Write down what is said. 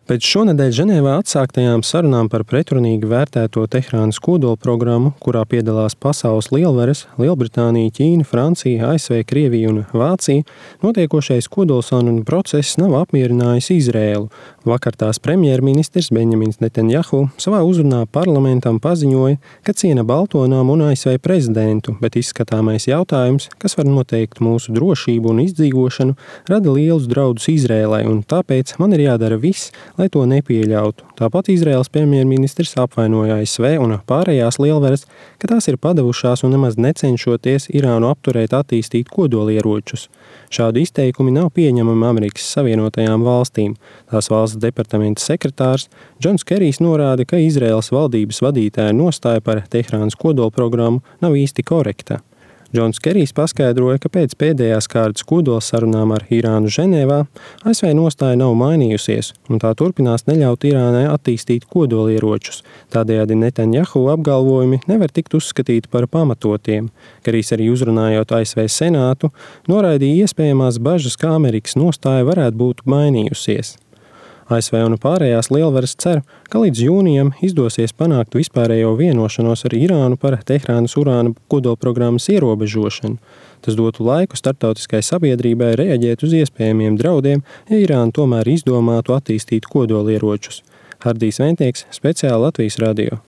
Pēc šonedēļ Ženēvā atsāktajām sarunām par pretrunīgi vērtēto Teherānas kodolprogrammu, kurā piedalās pasaules lielvaras – Lielbritānija, Ķīna, Francija, ASV, Krievija un Vācija, notiekošais kodolsarunu process nav apmierinājis Izrēlu. Vakar tās premjerministrs Benjamins Netanjahu savā uzrunā parlamentam paziņoja, ka ciena Baltonām un ASV prezidentu, bet izskatāmais jautājums, kas var noteikt mūsu drošību un izdzīvošanu, rada lielus draudus Izrēlai, un tāpēc man ir jādara viss, lai to nepieļautu. Tāpat Izraēlas premjerministrs apvainoja ASV un pārējās lielvaras, ka tās ir padavušās un nemaz necenšoties Irānu apturēt attīstīt kodolieročus. Šādi izteikumi nav pieņemami Amerikas Savienotajām valstīm. Tās valsts departamenta sekretārs Džons Kerijs norāda, ka Izraēlas valdības vadītāja nostāja par Teherānas kodolprogrammu nav īsti korekta. Džons Kerijs paskaidroja, ka pēc pēdējās kārtas kodolsarunām ar Irānu Ženēvā ASV nostāja nav mainījusies, un tā turpinās neļaut Irānai attīstīt kodolieročus. Tādējādi Netanjahu apgalvojumi nevar tikt uzskatīti par pamatotiem. Kerijs arī uzrunājot ASV Senātu, noraidīja iespējamās bažas, ka Amerikas nostāja varētu būt mainījusies. ASV un pārējās lielvaras cer, ka līdz jūnijam izdosies panākt vispārējo vienošanos ar Irānu par Teherānas urāna kodolprogrammas ierobežošanu. Tas dotu laiku starptautiskai sabiedrībai reaģēt uz iespējamiem draudiem, ja Irāna tomēr izdomātu attīstīt kodolieročus. Hardijs Ventieks, speciāli Latvijas radio.